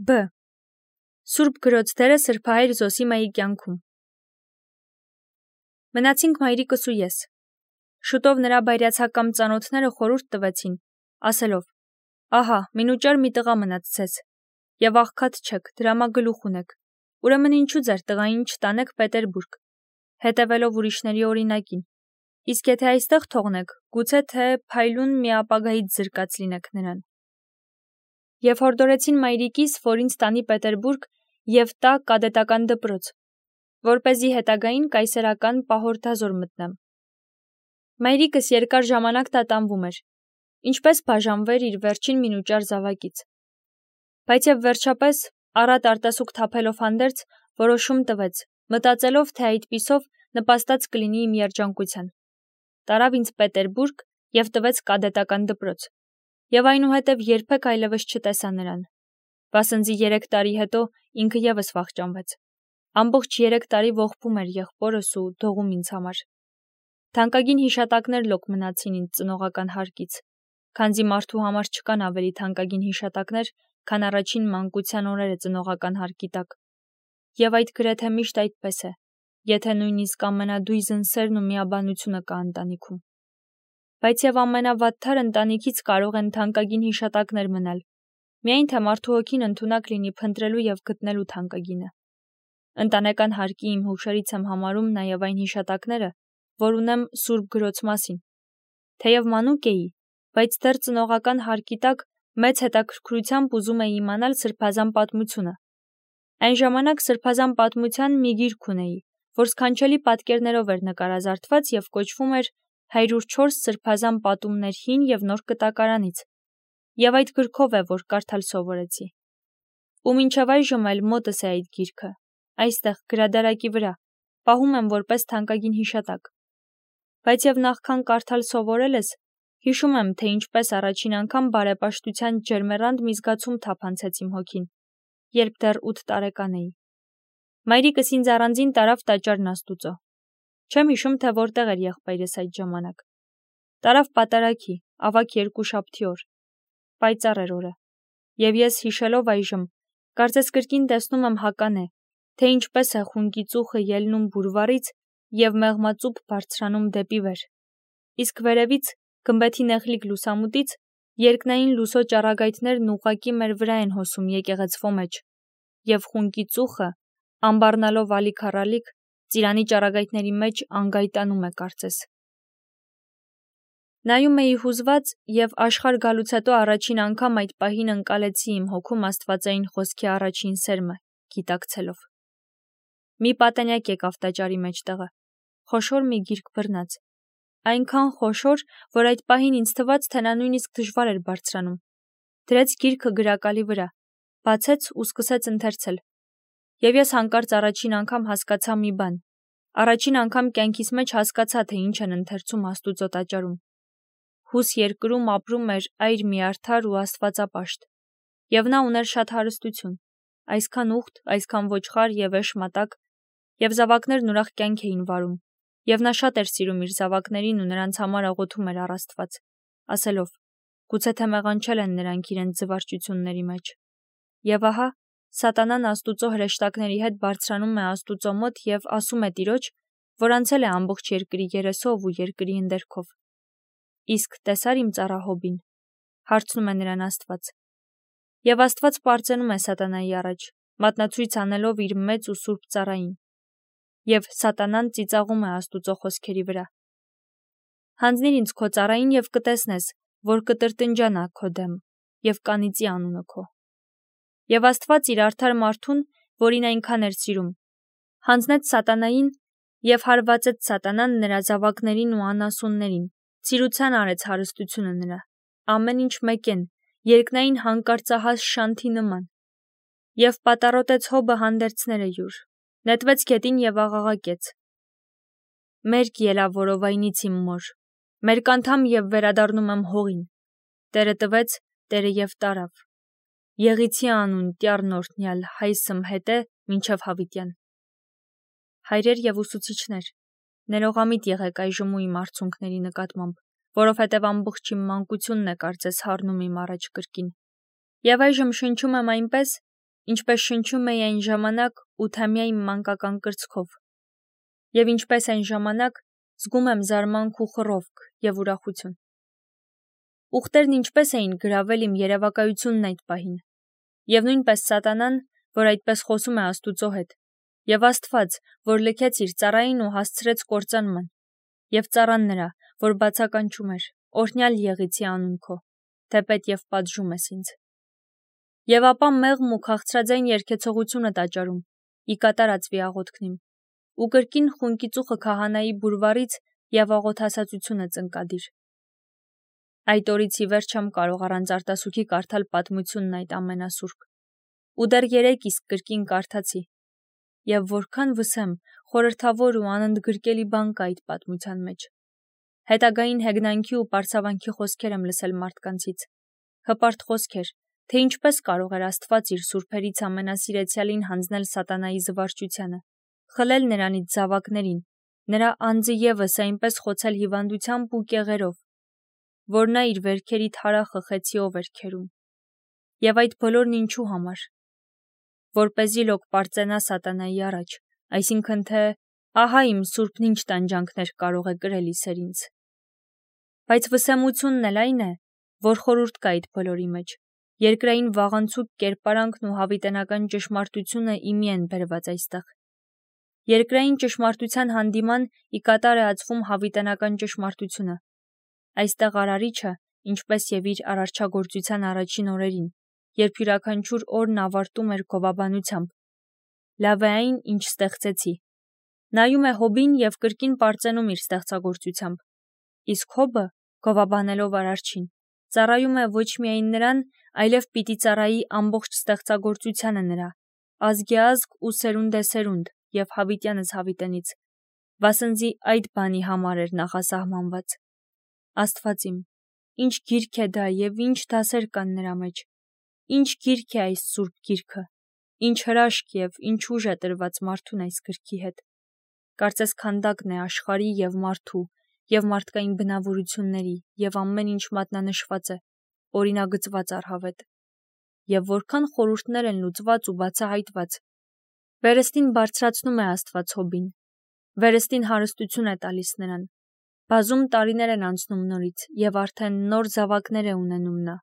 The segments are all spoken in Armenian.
B. Սուրբ գրոց դերը սրբահայր Զոսիմայի կյանքում։ Մնացինք մայրիկս ու ես։ Շուտով նրա բայրացակամ ծանոթները խորհուրդ տվեցին, ասելով. «Ահա, մինուճար մի տղա մնաց ձեզ, եւ աղքատ չեք, դրամագլուխ ունեք, ուրեմն ինչու ձեր տղային չտանեք Պետերբուրգ, հետևելով ուրիշների օրինակին, իսկ եթե այստեղ թողնեք, գուցե թե փայլուն մի ապագայից զրկած լինեք նրան»։ Եվ հորդորեցին մայրիկիս, որ ինձ տանի Պետերբուրգ եւ տա կադետական դպրոց, որպեսզի հետագային կայսերական պահորդազոր մտնեմ։ Մայրիկս երկար ժամանակ տատանվում էր, ինչպես բաժանվեր իր վերջին մինուճար զավակից։ Բայց եւ վերջապես, առատ արտասուք թափելով հանդերձ, որոշում տվեց, մտածելով, թե այդպիսով նպաստած կլինի իմ երջանկության։ Տարավ ինձ Պետերբուրգ եւ տվեց կադետական դպրոց, եւ այնուհետև երբեք այլևս չտեսա նրան։ Վասնզի 3 տարի հետո ինքը եւս վախճանվեց։ Ամբողջ 3 տարի ողբում էր եղբորս ու դողում ինձ համար։ Թանկագին հիշատակներ լոկ մնացին ինձ ծնողական հարկից, քանզի մարդու համար չկան ավելի թանկագին հիշատակներ, քան առաջին մանկության օրերը ծնողական հարկի տակ։ Եվ այդ գրեթե միշտ այդպես է, եթե նույնիսկ ամենադույզն սերն ու միաբանությունը կա ընտանիքում։ Բայց եւ ամենավատթար ընտանիքից կարող են թանկագին հիշատակներ մնալ, միայն թե մարդու հոգին ընդունակ լինի փնտրելու եւ գտնելու թանկագինը։ Ընտանեկան հարկի իմ հուշերից եմ համարում նաեւ այն հիշատակները, որ ունեմ Սուրբ գրոց մասին։ Թեև մանուկ էի, բայց դեռ ծնողական հարկի տակ մեծ հետաքրքրությամբ ուզում էի իմանալ սրբազան պատմությունը։ Այն ժամանակ սրբազան պատմության մի գիրք ունեի, որ սքանչելի պատկերներով էր նկարազարդված եւ կոչվում էր 104 սրբազան պատումներ հին եւ նոր կտակարանից։ Եվ այդ գրքով է, որ կարդալ սովորեցի։ Ու մինչև այժմ էլ մոտս է այդ գիրքը, այստեղ գրադարակի վրա, պահում եմ որպես թանկագին հիշատակ։ Բայց եւ նախքան կարդալ սովորելս, հիշում եմ, թե ինչպես առաջին անգամ բարեպաշտության ջերմեռանդ մի զգացում թափանցեց իմ հոգին, երբ դեռ 8 տարեկան էի։ Մայրիկս ինձ առանձին տարավ տաճարն Աստուծո։ Չեմ հիշում, թե որտեղ էր եղբայրս այդ ժամանակ։ Տարավ պատարագի, ավագ երկուշաբթի օր։ Պայծառ էր օրը։ Եվ ես հիշելով այժմ, կարծես կրկին տեսնում եմ հականե, թե ինչպես է խունկի ծուխը ելնում բուրվարից եւ մեղմածուփ բարձրանում դեպի վեր։ Իսկ վերևից, գմբեթի նեղլիկ լուսամուտից, երկնային լուսո ճառագայթներն ուղղակի մեր վրա են հոսում եկեղեցվո մեջ, եւ խունկի ծուխը, ամբառնալով ալիք առալիք, ծիրանի ճառագայթների մեջ անգայտանում է կարծես։ Նայում էի հուզված եւ աշխարհ գալուց հետո առաջին անգամ այդ պահին ընկալեցի իմ հոգում աստվածային խոսքի առաջին սերմը, գիտակցելով։ Մի պատանյակ եկավ տաճարի մեջտեղը, խոշոր մի գիրք բռնած, այնքան խոշոր, որ այդ պահին ինձ թվաց, թե նա նույնիսկ դժվար էր բարձրանում։ Դրեց գիրքը գրակալի վրա, բացեց ու սկսեց ընթերցել։ Եվ ես հանկարծ առաջին անգամ հասկացա մի բան։ Առաջին անգամ կյանքիս մեջ հասկացա, թե ինչ են ընթերցում Աստուծո տաճարում։ Հուս երկրում ապրում էր այր մի արդար ու աստվածապաշտ, եւ նա ուներ շատ հարստություն, այսքան ուխտ, այսքան ոչխար եւ էշ մատակ, եւ զավակներն ուրախ կյանք էին վարում, եւ նա շատ էր սիրում իր զավակներին ու նրանց համար աղոթում էր առ Աստված, ասելով. գուցե թե մեղանչել են նրանք իրենց զվարճությունների մեջ։ Եվ ահա, սատանան Աստուծո հրեշտակների հետ բարձրանում է Աստուծո մոտ եւ ասում է Տիրոջ, որ անցել է ամբողջ երկրի երեսով ու երկրի ընդերքով։ Իսկ տեսար իմ ծառա Հոբին, հարցնում է նրան Աստված։ Եվ Աստված պարծենում է սատանայի առաջ, մատնացույց անելով իր մեծ ու սուրբ ծառային։ Եվ սատանան ծիծաղում է Աստուծո խոսքերի վրա։ Հանձնիր ինձ քո ծառային եւ կտեսնես, որ կտրտնջանա քո դեմ եւ կանիծի անունը քո։ Եվ Աստված իր արդար մարդուն, որին այնքան էր սիրում, հանձնեց սատանային եւ հարվածեց սատանան նրա զավակներին ու անասուններին, ծիրուցան արեց հարստությունը նրա, ամեն ինչ մեկեն, երկնային հանկարծահաս շանթի նման, եւ պատառոտեց Հոբը հանդերձները յուր, նետվեց գետին եւ աղաղակեց. «Մերկ ելա որովայնից իմ մոր, մերկ անդամ եւ վերադառնում եմ հողին, Տերը տվեց, Տերը եւ տարավ, Եղիցի անուն տյառն օրհնյալ հայսմ հետե մինչև հավիտյան»։ Հայրեր եւ ուսուցիչներ, ներողամիտ եղեք այժմ իմ արցունքների նկատմամբ, որովհետև ամբողջ իմ մանկությունն է կարծես հառնում իմ առաջ կրկին։ Եվ այժմ շնչում եմ այնպես, ինչպես շնչում էի այն ժամանակ 8-ամյա իմ մանկական կրծքով, և ինչպես այն ժամանակ զգում եմ զարմանք ու խռովք և ուրախություն։ Ուղտերն ինչպես էին գրավել իմ երևակայությունն այդ պահին, և նույնպես սատանան, որ այդպես խոսում է Աստուծո հետ, և Աստված, որ լքեց իր ծառային ու հասցրեց կործանման, և ծառան նրա, որ բացականչում էր, օրհնյալ եղիցի անուն քո, թեպետ և պատժում ես ինձ։ Եվ ապա մեղմ ու քաղցրաձայն երգեցողությունը տաճարում, ի կատար ածվի աղոթքնիմ, ու կրկին խունկիծուխը քահանայի բուրվարից և աղոթասացությունը ծնկադիր։ Այդ օրից ի վեր չեմ կարող առանց արտասուքի կարդալ պատմությունն այդ ամենասուրբ, ու դեռ 3 իսկ կրկին կարդացի, և որքան վսեմ, խորհրդավոր ու անընդգրկելի բան կա այդ պատմության մեջ։ Հետագային հեգնանքի ու պարծավանքի խոսքեր եմ լսել մարդկանցից, հպարտ խոսքեր, թե ինչպես կարող էր Աստված իր սուրբերից ամենասիրեցյալին հանձնել սատանայի զվարճությանը, խլել նրանից զավակներին, նրա անձը ևս այնպես խոցել հիվանդությամբ ու կեղերով, որ նա իր վերքերի թարախը խեցիով էր քերում։ Եվ այդ բոլորն ինչու համար, որպեսզի լոկ պարծենա սատանայի առաջ, այսինքն թե ահա իմ սուրբն ինչ տանջանքներ կարող է կրել իսեր ինձ։ Բայց վսեմությունն էլ այն է, որ խորհուրդ կա այդ բոլորի մեջ, երկրային վաղանցուկ կերպարանքն ու հավիտենական ճշմարտությունը իմի են բերված այստեղ։ Երկրային ճշմարտության հանդիման ի կատար է ածվում հավիտենական ճշմարտությունը։ Այստեղ արարիչը, ինչպես և իր արարչագործության առաջին օրերին, երբ յուրաքանչյուր օրն ավարտում էր գովաբանությամբ, լավ է այն, ինչ ստեղծեցի, նայում է Հոբին և կրկին պարծենում իր ստեղծագործությամբ, իսկ Հոբը, գովաբանելով արարչին, ծառայում է ոչ միայն նրան, այլև պիտի ծառայի ամբողջ ստեղծագործությանը նրա, ազգեազգ ու սերունդեսերունդ և հավիտյանս հավիտենից, վասնզի այդ բանի համար էր նախասահմանված։ Աստված իմ, ինչ գիրք է դա և ինչ դասեր կան նրա մեջ, ինչ գիրք է այս սուրբ գիրքը, ինչ հրաշք և ինչ ուժ է տրված մարդուն այս գրքի հետ։ Կարծես քանդակն է աշխարհի և մարդու և մարդկային բնավորությունների և ամեն ինչ մատնանշված է, օրինագծված առհավետ, և որքան խորհուրդներ են լուծված ու բացահայտված։ Վերստին բարձրացնում է Աստված Հոբին, վերստին հարստություն է տալիս նրան, բազում տարիներ են անցնում նորից և արդեն նոր զավակներ է ունենում նա,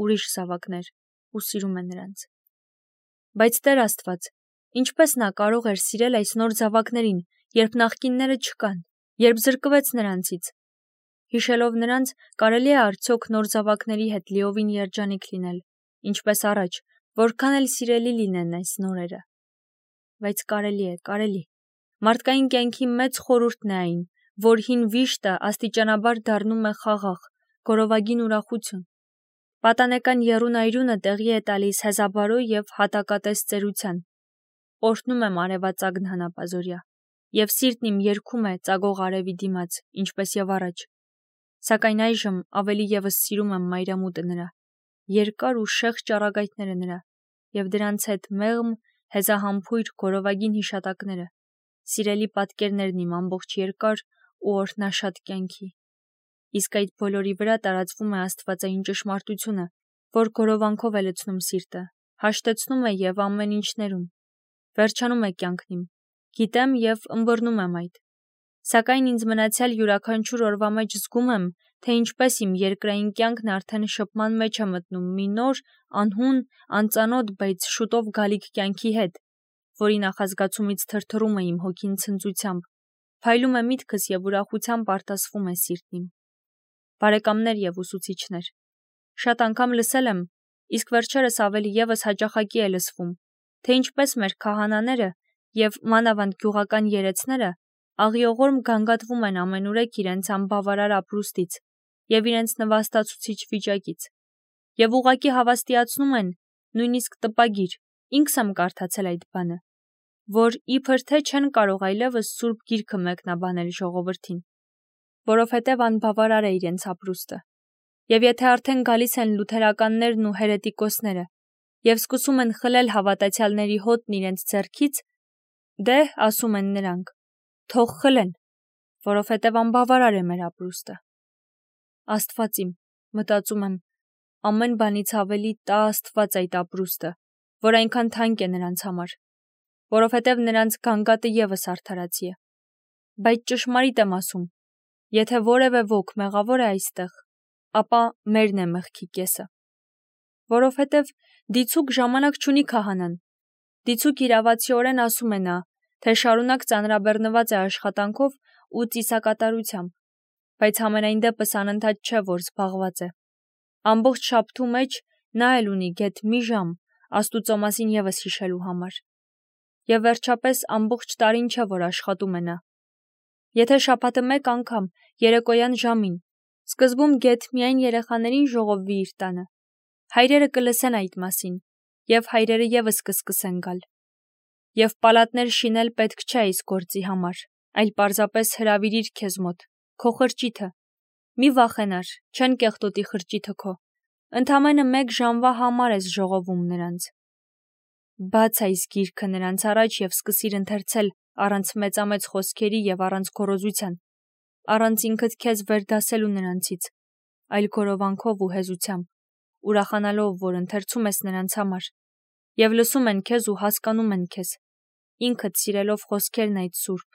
ուրիշ զավակներ, ու սիրում է նրանց։ Բայց Տեր Աստված, ինչպես նա կարող էր սիրել այս նոր զավակներին, երբ նախկինները չկան, երբ զրկվեց նրանցից։ Հիշելով նրանց, կարելի է արդյոք նոր զավակների հետ լիովին երջանիկ լինել, ինչպես առաջ, որքան էլ սիրելի լինեն այս նորերը։ Բայց կարելի։ Մարդկային կյանքի մեծ խորհուրդն է այն, որ հին վիշտը աստիճանաբար դառնում է խաղաղ, գորովագին ուրախություն։ Պատանեկան եռուն-այրունը տեղի է տալիս հեզաբարո և հատակատես ծերության։ Օրհնում եմ արևածագն հանապազօրյա, և սիրտն իմ երգում է ծագող արևի դիմաց, ինչպես և առաջ։ Սակայն այժմ ավելի ևս սիրում եմ մայրամուտը նրա, երկար ու շեղ ճառագայթները նրա, և դրանց հետ մեղմ, հեզահամբույր գորովագին հիշատակները, սիրելի պատկերներն իմ ամբողջ երկար ու օրհնաշատ կյանքի։ Իսկ այդ բոլորի վրա տարածվում է աստվածային ճշմարտությունը, որ գորովանքով է լցնում սիրտը, հաշտեցնում է և ամեն ինչ ներում, վերջանում է կյանքն իմ, գիտեմ և ըմբռնում եմ այդ։ Սակայն ինձ մնացյալ յուրաքանչյուր օրվա մեջ զգում եմ, թե ինչպես իմ երկրային կյանքն արդեն շփման մեջ է մտնում մի նոր, անհուն, անծանոթ, բայց շուտով գալիք կյանքի հետ, որի նախազգացումից թրթռում է իմ հոգին ցնծությամբ, փայլում է միտքս և ուրախությամբ արտասվում է սիրտն իմ։ Բարեկամներ և ուսուցիչներ, շատ անգամ լսել եմ, իսկ վերջերս ավելի ևս հաճախակի է լսվում, թե ինչպես մեր քահանաները և մանավանդ գյուղական երեցները աղիողորմ գանգատվում են ամենուրեք իրենց անբավարար ապրուստից և իրենց նվաստացուցիչ վիճակից, և ուղղակի հավաստիացնում են, նույնիսկ տպագիր, ինքս եմ կարդացել այդ բանը, որ իբր թե չեն կարող այլևս սուրբ գիրքը մեկնաբանել ժողովրդին, որովհետև անբավարար է իրենց ապրուստը, և եթե արդեն գալիս են լութերականներն ու հերետիկոսները և սկսում են խլել հավատացյալների հոտն իրենց ձեռքից, դե, ասում են նրանք, թող խլեն, որովհետև անբավարար է մեր ապրուստը։ Աստված իմ, մտածում եմ, ամեն բանից ավելի տա Աստված այդ ապրուստը, որ այնքան թանկ է նրանց համար, որովհետև նրանց գանգատը ևս արդարացի է։ Բայց ճշմարիտ եմ ասում, եթե որևէ ոք մեղավոր է այստեղ, ապա մերն է մեղքի կեսը։ Որովհետև դիցուք ժամանակ չունի քահանան, դիցուք իրավացիորեն ասում է նա, թե շարունակ ծանրաբեռնված է աշխատանքով ու ծիսակատարությամբ, բայց համենայն դեպս անընդհատ չէ, որ զբաղված է։ Ամբողջ շաբթու մեջ նա էլ ունի գեթ մի ժամ Աստուծո մասին ևս հիշելու համար։ Եվ վերջապես ամբողջ տարին չէ, որ աշխատում է նա։ Եթե շաբաթը մեկ անգամ երեկոյան ժամին սկզբում գեթ միայն երեխաներին ժողովվի իր տանը, հայրերը կլսեն այդ մասին, եւ հայրերը ևս կսկսեն գալ։ Եվ պալատներ շինել պետք չէ այս գործի համար, այլ պարզապես հրավիրիր քեզ մոտ, քո խրճիթը։ Մի վախենար, չեն կեղտոտի խրճիթը քո։ Ընդամենը 1 ժամվա համար ես ժողովում նրանց։ Բաց այս գիրքը նրանց առաջ եւ սկսիր ընթերցել առանց մեծամեծ խոսքերի եւ առանց գոռոզության, առանց ինքդ քեզ վերդասելու նրանցից, այլ գորովանքով ու հեզությամբ, ուրախանալով, որ ընթերցում ես նրանց համար, եւ լսում են քեզ ու հասկանում են քեզ, ինքդ սիրելով խոսքերն այդ սուրբ,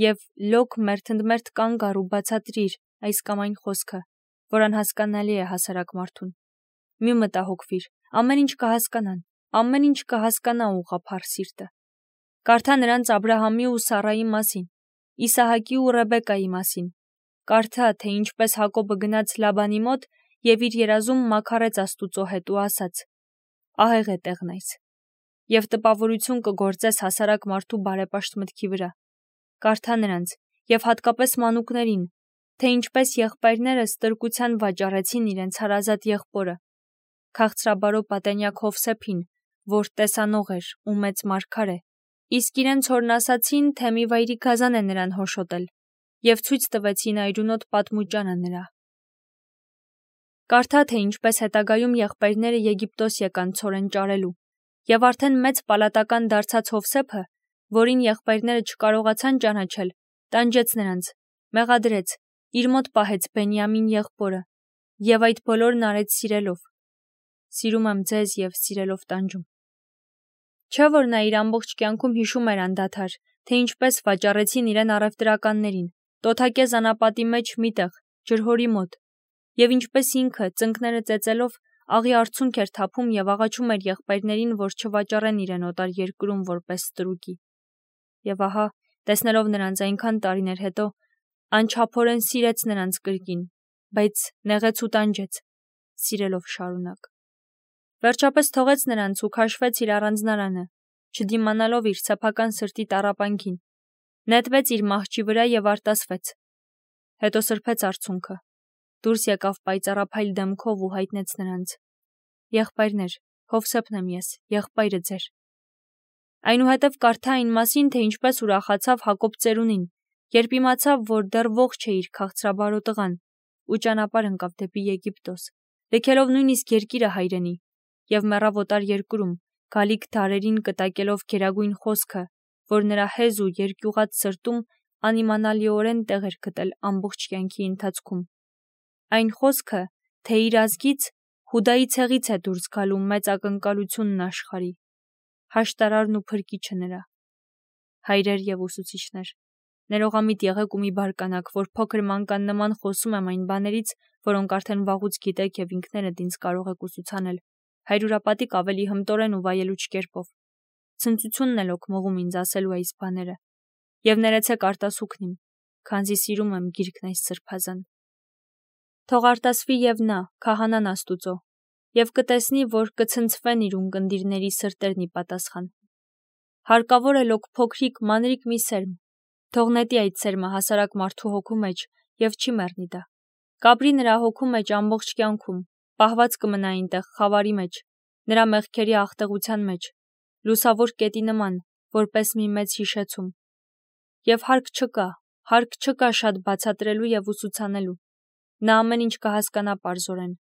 եւ լոկ մերթընդմերթ կանգ առ ու բացատրիր այս կամ այն խոսքը, որ անհասկանալի է հասարակ մարդուն։ Մի մտահոգվիր, ամեն ինչ կհասկանան, ամեն ինչ կհասկանա ուղղափառ սիրտը։ Կարդա նրանց Աբրահամի ու Սառայի մասին, Իսահակի ու Ռեբեկայի մասին։ Կարդա, թե ինչպես Հակոբը գնաց Լաբանի մոտ եւ իր երազում մաքարեց Աստուծո հետ ու ասաց. ահեղ է տեղն այս։ Եվ տպավորություն կգործես հասարակ մարդու բարեպաշտ մտքի վրա։ Կարդա նրանց եւ հատկապես մանուկներին, թե ինչպես եղբայրները ստրկության վաճառեցին իրենց հարազատ եղբորը, քաղցրաբարո պատենյակ Հովսեփին, որ տեսանող էր ու մեծ մարգար է, իսկ իրենց հորն ասացին, թե մի վայրի գազան է նրան հոշոտել, եւ ցույց տվեցին այրունոտ պատմուճանը նրա։ Կարդա, թե ինչպես հետագայում եղբայրները Եգիպտոս եկան ցորեն ճարելու, եւ արդեն մեծ պալատական դարձած Հովսեփը, որին եղբայրները չկարողացան ճանաչել, տանջեց նրանց, մեղադրեց, իր մոտ պահեց Բենյամին եղբորը, եւ այդ բոլորն արեց սիրելով։ Սիրում եմ ձեզ եւ սիրելով տանջում։ Չէ՞ որ նա իր ամբողջ կյանքում հիշում էր անդադար, թե ինչպես վաճառեցին իրեն առևտրականներին, տոթակեզ անապատի մեջ միտեղ, ջրհորի մոտ, եւ ինչպես ինքը, ծնկները ծեծելով, աղի արցունք էր թափում եւ աղաչում էր եղբայրներին, որ չվաճառեն իրեն օտար երկրում որպես ստրուկի։ Եվ ահա, տեսնելով նրանց այնքան տարիներ հետո, անչափորեն սիրեց նրանց կրկին, բայց նեղեց ու տանջեց, սիրելով շարունակ։ Վերջապես թողեց նրանց ու քաշվեց իր առանձնարանը, չդիմանալով իր սեփական սրտի տառապանքին, նետվեց իր մահճի վրա եւ արտասվեց։ Հետո սրբեց արցունքը, դուրս եկավ պայծառափայլ դեմքով ու հայտնեց նրանց. Եղբայրներ, Հովսեփն եմ ես, եղբայրը ձեր։ Այնուհետև կարդա այն մասին, թե ինչպես ուրախացավ Հակոբ ծերունին, երբ իմացավ, որ դեռ ողջ է իր քաղցրաբարո տղան, ու ճանապարհ ընկավ դեպի Եգիպտոս, լքելով նույնիսկ երկիրը հայրենի, եւ մեռավ օտար երկրում, գալիք դարերին կտակելով գերագույն խոսքը, որ նրա հեզ ու երկյուղած սրտում անիմանալիորեն տեղ էր գտել ամբողջ կյանքի ընթացքում։ Այն խոսքը, թե իր ազգից Հուդայի ցեղից է դուրս գալու մեծ ակնկալությունն աշխարհի, հաշտարարն ու փրկիչը նրա։ Հայրեր եւ ուսուցիչներ, ներողամիտ եղեք ու մի բարկանաք, որ փոքր մանկան նման խոսում եմ այն բաներից, որոնք արդեն վաղուց գիտեք եւ ինքներդ ինձ կարող եք ուսուցանել, հայրուրապատիկ ավելի հմտորեն ու վայելուչ կերպով։ Ցնծությունն էլ օգնվում ինձ ասելու այս բաները, եւ ներեցեք արտասուքն իմ, քանզի սիրում եմ գիրքն այս սրբազան։ Թող արտասվի եւ նա, քահանան Աստուծո, եւ կտեսնի, որ կցնցվեն իր ունկնդիրների սրտերն ի պատասխան։ Հարկավոր է լոկ փոքրիկ մանրիկ մի սերմ, թող նետի այդ սերմը հասարակ մարդու հոգու մեջ եւ չի մեռնի դա։ Կապրի նրա հոգու մեջ ամբողջ կյանքում, պահված կմնա այնտեղ խավարի մեջ, նրա մեղքերի աղտեղության մեջ, լուսավոր կետի նման, որպես մի մեծ հիշեցում։ Եվ հարկ չկա շատ բացատրելու եւ ուսուցանելու։ Նա ամեն ինչ կհասկանա պարզորեն։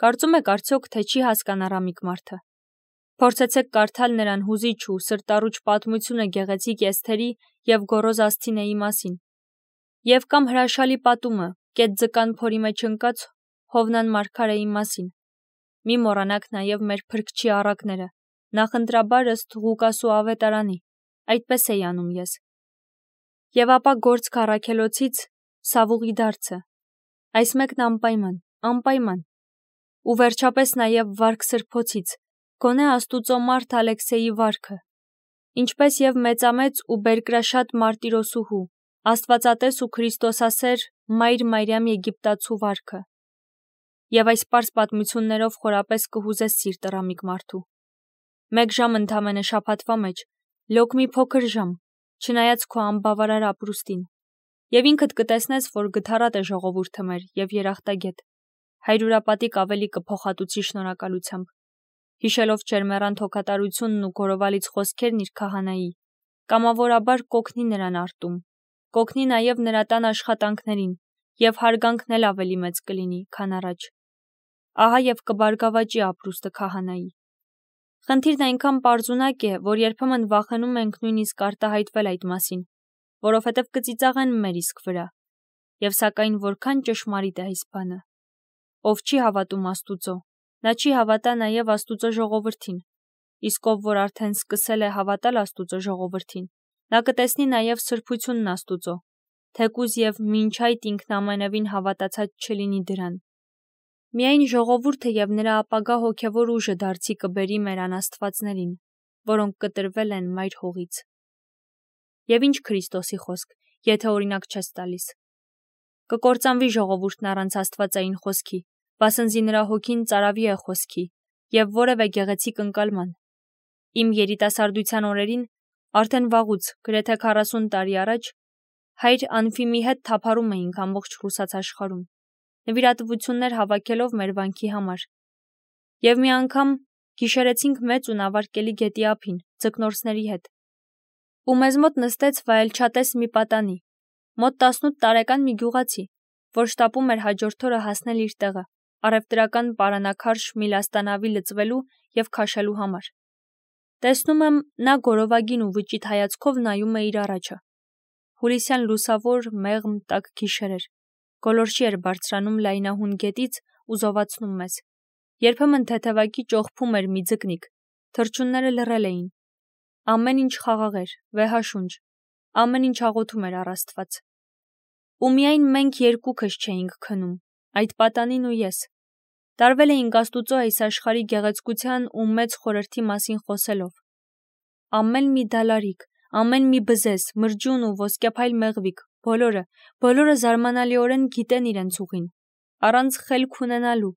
Կարծում եք արդյոք, թե չի հասկանա Ռամիկ մարդը։ Փորձեցեք կարդալ նրան հուզիչ ու սրտառուչ պատմությունը գեղեցիկ Էսթերի եւ գոռոզ Ասթինեի մասին։ Եվ կամ հրաշալի պատումը կետ ձկան փորի մեջ ընկած Հովնան մարգարեի մասին։ Մի մոռանաք նաեւ մեր փրկչի առակները, նախընտրաբար ըստ Ղուկասու ավետարանի, այդպես էի անում ես։ Եվ ապա գործք առաքելոցից Սավուղի դարձը, այս մեկն անպայման, ու վերջապես նաև վարք սրբոցից, գոնե Աստուծո մարդ Ալեքսեյի վարքը, ինչպես և մեծամեծ ու բերկրաշատ մարտիրոսուհու, Աստվածատես ու Քրիստոսասեր Մայր Մարիամ Եգիպտացու վարքը։ Եվ այս պարզ պատմություններով խորապես կհուզես սիրտը ռամիկ մարդու։ 1 ժամ ընդամենը շաբաթվա մեջ, լոկ մի փոքր ժամ, չնայած քո անբավարար ապրուստին, և ինքդ կտեսնես, որ գթառատ է ժողովուրդը մեր և երախտագետ, հայրուրապատիկ ավելի կփոխատուցի շնորհակալությամբ, հիշելով ջերմեռանդ հոգատարությունն ու գորովալից խոսքերն իր քահանայի, կամավորաբար կօգնի նրան արտում, կօգնի նաև նրա տան աշխատանքներին, և հարգանքն էլ ավելի մեծ կլինի, քան առաջ։ Ահա և կբարգավաճի ապրուստը քահանայի։ Խնդիրն այնքան պարզունակ է, որ երբեմն վախենում ենք նույնիսկ արտահայտվել այդ մասին, որովհետև կծիծաղեն մեր իսկ վրա։ Եվ սակայն որքան ճշմարիտ է այս բանը։ Ով չի հավատում Աստուծո, նա չի հավատա նաև Աստուծո ժողովրդին, իսկ ով որ արդեն սկսել է հավատալ Աստուծո ժողովրդին, նա կտեսնի նաև սրբությունն Աստուծո, թեկուզ և մինչ այդ ինքն ամենևին հավատացած չլինի դրան։ Միայն ժողովուրդը և նրա ապագա հոգևոր ուժը դարձի կբերի մեր անաստվածներին, որոնք կտրվել են մայր հողից։ Եվ ինչ Քրիստոսի խոսք, եթե օրինակ չես տալիս։ Կկործանվի ժողովուրդն առանց աստվածային խոսքի, վասնզի նրա հոգին ծարավի է խոսքի և որևէ գեղեցիկ ընկալման։ Իմ երիտասարդության օրերին, արդեն վաղուց, գրեթե 40 տարի առաջ, հայր Անֆիմի հետ թափառում էինք ամբողջ Ռուսաց աշխարհում, նվիրատվություններ հավաքելով մեր վանքի համար։ Եվ մի անգամ գիշերեցինք մեծ ու նավարկելի գետի ափին, ձկնորսների հետ։ Ու մեզ մոտ նստեց վայելչատես մի պատանի, մոտ 18 տարեկան մի գյուղացի, որ շտապում էր հաջորդ օրը հասնել իր տեղը, առևտրական պարանակարշ Միլաստանավի լծվելու և քաշելու համար։ Տեսնում եմ, նա գորովագին ու վճիտ հայացքով նայում է իր առաջը։ Հուլիսյան լուսավոր, մեղմ, տաք գիշեր էր, գոլորշի էր բարձրանում լայնահուն գետից ու զովացնում մեզ։ Երբեմն թեթևակի ճողփում էր մի ձկնիկ, թռչունները լռել էին։ Ամեն ինչ խաղաղ էր, վեհաշունչ, ամեն ինչ աղոթում էր առ Աստված։ Ու միայն մենք երկուքս չէինք քնում, այդ պատանին ու ես։ Տարվել էինք Աստուծո այս աշխարհի գեղեցկության ու մեծ խորհրդի մասին խոսելով։ Ամեն մի դալարիկ, ամեն մի բզեզ, մրջուն ու ոսկեփայլ մեղվիկ, բոլորը զարմանալիորեն գիտեն իրենց ուղին, առանց խելք ունենալու,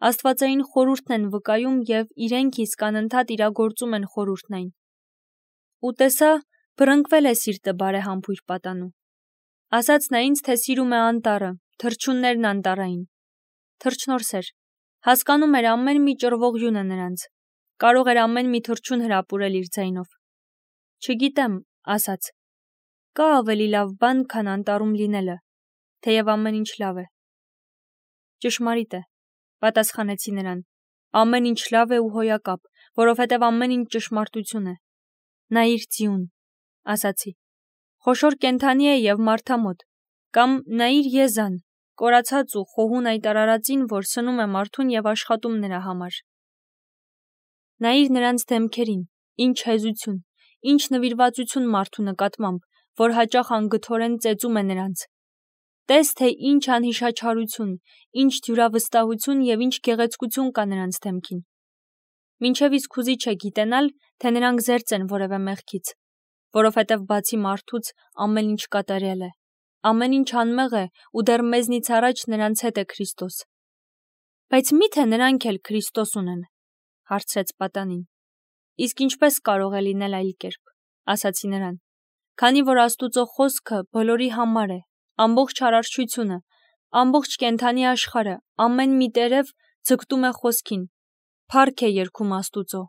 աստվածային խորհուրդն են վկայում և իրենք իսկ անընդհատ իրագործում են խորհուրդն այն։ Ու տեսա, բռնկվել է սիրտը բարեհամբույր պատանու։ Ասաց նա ինձ, թե սիրում է անտառը, թռչուններն անտառային։ Թռչնորս էր, հասկանում էր ամեն մի ճռվողյունը նրանց, կարող էր ամեն մի թռչուն հրապուրել իր ձայնով։ Չգիտեմ, ասաց, կա ավելի լավ բան, քան անտառում լինելը, թեև ամեն ինչ լավ է։ Ճշմարիտ է, պատասխանեցի նրան, ամեն ինչ լավ է ու հոյակապ, որովհետև ամեն ինչ ճշմարտություն է։ Նայիր ձիուն, ասացի, խոշոր կենդանի է և մարդամոտ, կամ նայիր եզան, կորացած ու խոհուն այդ արարածին, որ սնում է մարդուն և աշխատում նրա համար։ Նայիր նրանց դեմքերին, ինչ հեզություն, ինչ նվիրվածություն մարդու նկատմամբ, որ հաճախ անգթորեն ծեծում է նրանց։ Տես, թե ինչ անհիշաչարություն, ինչ դյուրավստահություն և ինչ գեղեցկություն կա նրանց դեմքին։ Մինչև իսկ հուզիչ է գիտենալ, թե նրանք զերծ են որևէ մեղքից, որովհետև բացի մարդուց ամեն ինչ կատարյալ է, ամեն ինչ անմեղ է ու դեռ մեզնից առաջ նրանց հետ է Քրիստոս։ Բայց մի՞թե նրանք էլ Քրիստոս ունեն, հարցրեց պատանին։ Իսկ ինչպես կարող է լինել այլ կերպ, ասացի նրան, քանի որ Աստուծո խոսքը բոլորի համար է, ամբողջ արարչությունը, ամբողջ կենդանի աշխարհը, ամեն մի տերև ձգտում է խոսքին, փառք է երգում Աստուծո,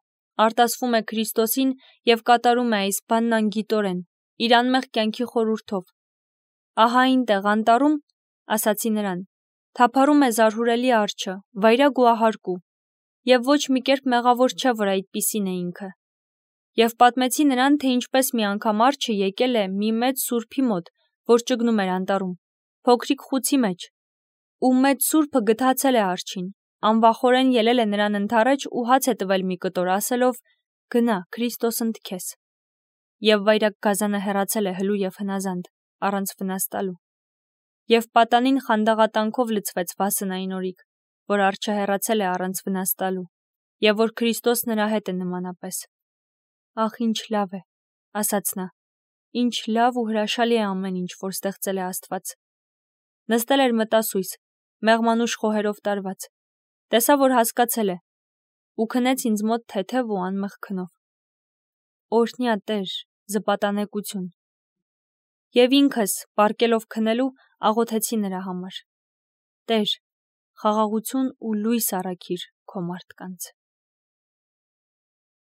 արտասվում է Քրիստոսին և կատարում է այս բանն անգիտորեն, իր անմեղ կյանքի խորհուրդով։ Ահա այնտեղ անտառում, ասացի նրան, թափառում է զարհուրելի արջը, վայրագ ու ահարկու, և ոչ մի կերպ մեղավոր չէ, որ այդպիսին է ինքը։ Եվ պատմեցի նրան, թե ինչպես մի անգամ արջը եկել է մի մեծ սուրբի մոտ, որ ճգնում էր անտառում, փոքրիկ խուցի մեջ, ու մեծ սուրբը գթացել է արջին, անվախորեն ելել է նրան ընդառաջ ու հաց է տվել մի կտոր, ասելով. Գնա, Քրիստոս ընդ քեզ։ Եվ վայրագ գազանը հեռացել է հլու և հնազանդ, առանց վնաս տալու։ Եվ պատանին խանդաղատանքով լցվեց վասնային օրիք, որ արջը հեռացել է առանց վնաս տալու, և որ Քրիստոս նրա հետ է նմանապես։ Ախ, ինչ լավ է, ասաց նա, ինչ լավ ու հրաշալի է ամեն ինչ, որ ստեղծել է Աստված։ Նստել էր մտասույս, մեղմանուշ խոհերով տարված, տեսա, որ հասկացել է, ու քնեց ինձ մոտ թեթև ու անմեղ քնով։ Օրհնյա Տեր, զպատանեկություն։ Եվ ինքս, պառկելով քնելու, աղոթեցի նրա համար. Տեր, խաղաղություն ու լույս առաքիր քո մարդկանց։